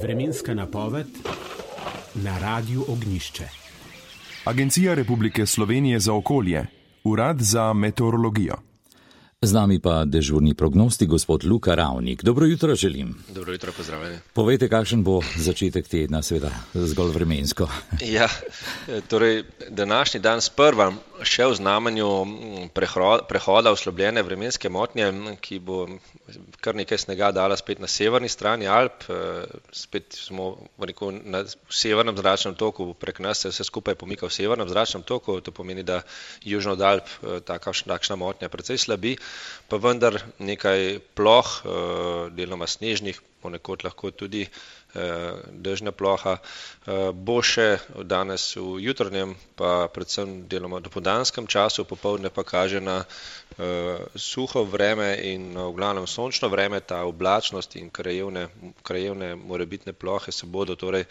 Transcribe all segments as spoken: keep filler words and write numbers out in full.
Vremenska napoved na Radiu Ognjišče. Agencija Republike Slovenije za okolje, Urad za meteorologijo. Z nami pa dežurni prognostik gospod Luka Ravnik. Dobro jutro želim. Dobro jutro, pozdravljeni. Povejte, kakšen bo začetek tedna, seveda zgolj vremensko. Ja, torej današnji dan sprva še v znamenju prehoda oslabljene vremenske motnje, ki bo kar nekaj snega dala spet na severni strani Alp. Spet smo rekel, na severnem zračnem toku, prek nas se vse skupaj pomika v severnem zračnem toku, to pomeni, da južno od Alp takšna motnja precej slabi, pa vendar nekaj ploh, deloma snežnih, ponekod lahko tudi dežna ploha, bo še danes v jutrnjem, pa predvsem deloma dopoldanskem času, popoldne pa kaže na suho vreme in v glavnem sončno vreme. Ta oblačnost in krajevne, krajevne morebitne plohe se bodo torej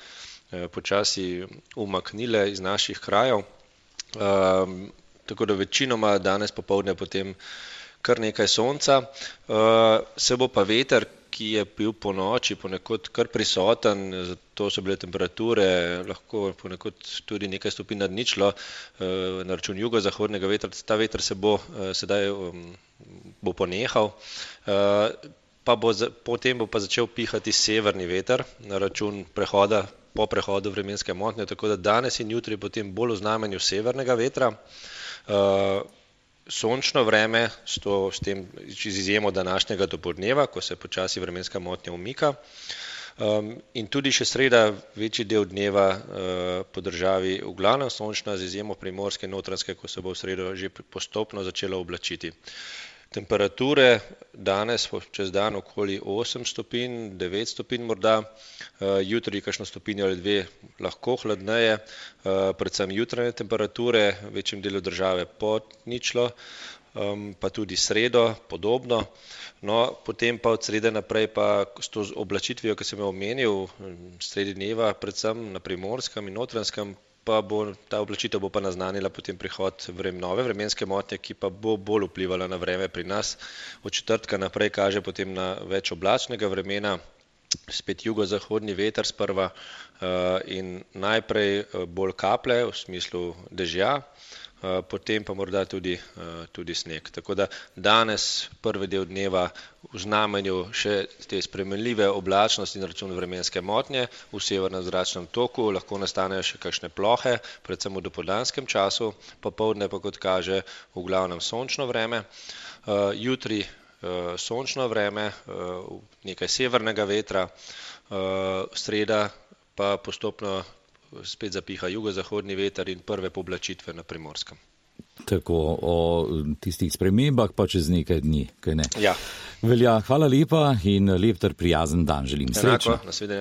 počasi umaknile iz naših krajev. Tako da večinoma danes popoldne potem kar nekaj sonca, se bo pa veter, ki je bil po noči ponekod kar prisoten, zato so bile temperature lahko ponekod tudi nekaj stopinj nad ničlo, na račun jugozahodnega vetra. Ta veter se bo sedaj bo ponehal, pa bo, potem bo pa začel pihati severni veter na račun prehoda, po prehodu vremenske motnje, tako da danes in jutri potem bolj v znamenju severnega vetra. Sončno vreme, s, to, s tem z izjemo današnjega dopoldneva, ko se počasi vremenska motnja umika. Um, in tudi še sreda, večji del dneva uh, po državi v glavnem sončna, z izjemo primorske in notranjske, ko se bo v sredo že postopno začelo oblačiti. Temperature danes čez dan okoli osem stopinj, devet stopinj morda, jutri kakšno stopinjo ali dve lahko hladneje, predvsem jutranje temperature, v večjem delu države pod ničlo, pa tudi sredo podobno. No, potem pa od srede naprej pa s to oblačitvijo, ki sem jo omenil, sredi dneva, predvsem na primorskem in notranjskem, pa bo ta oblačitev bo pa naznanila potem prihod vrem, nove vremenske motnje, ki pa bo bolj vplivala na vreme pri nas. Od četrtka naprej kaže potem na več oblačnega vremena, spet jugozahodni veter sprva in najprej bolj kaplje v smislu dežja, potem pa morda tudi, tudi sneg. Tako da danes prvi del dneva v znamenju še te spremenljive oblačnosti na račun vremenske motnje, v severnem zračnem toku lahko nastanejo še kakšne plohe, predvsem v dopoldanskem času, popoldne pa kot kaže v glavnem sončno vreme. Jutri sončno vreme, nekaj severnega vetra, sreda pa postopno spet zapiha jugozahodni veter in prve poblačitve na Primorskem. Tako, o tistih spremembah pa čez nekaj dni, kaj ne? Ja. Velja, hvala lepa in lep ter prijazen dan želim. Srečno. Enako, nasvidenje.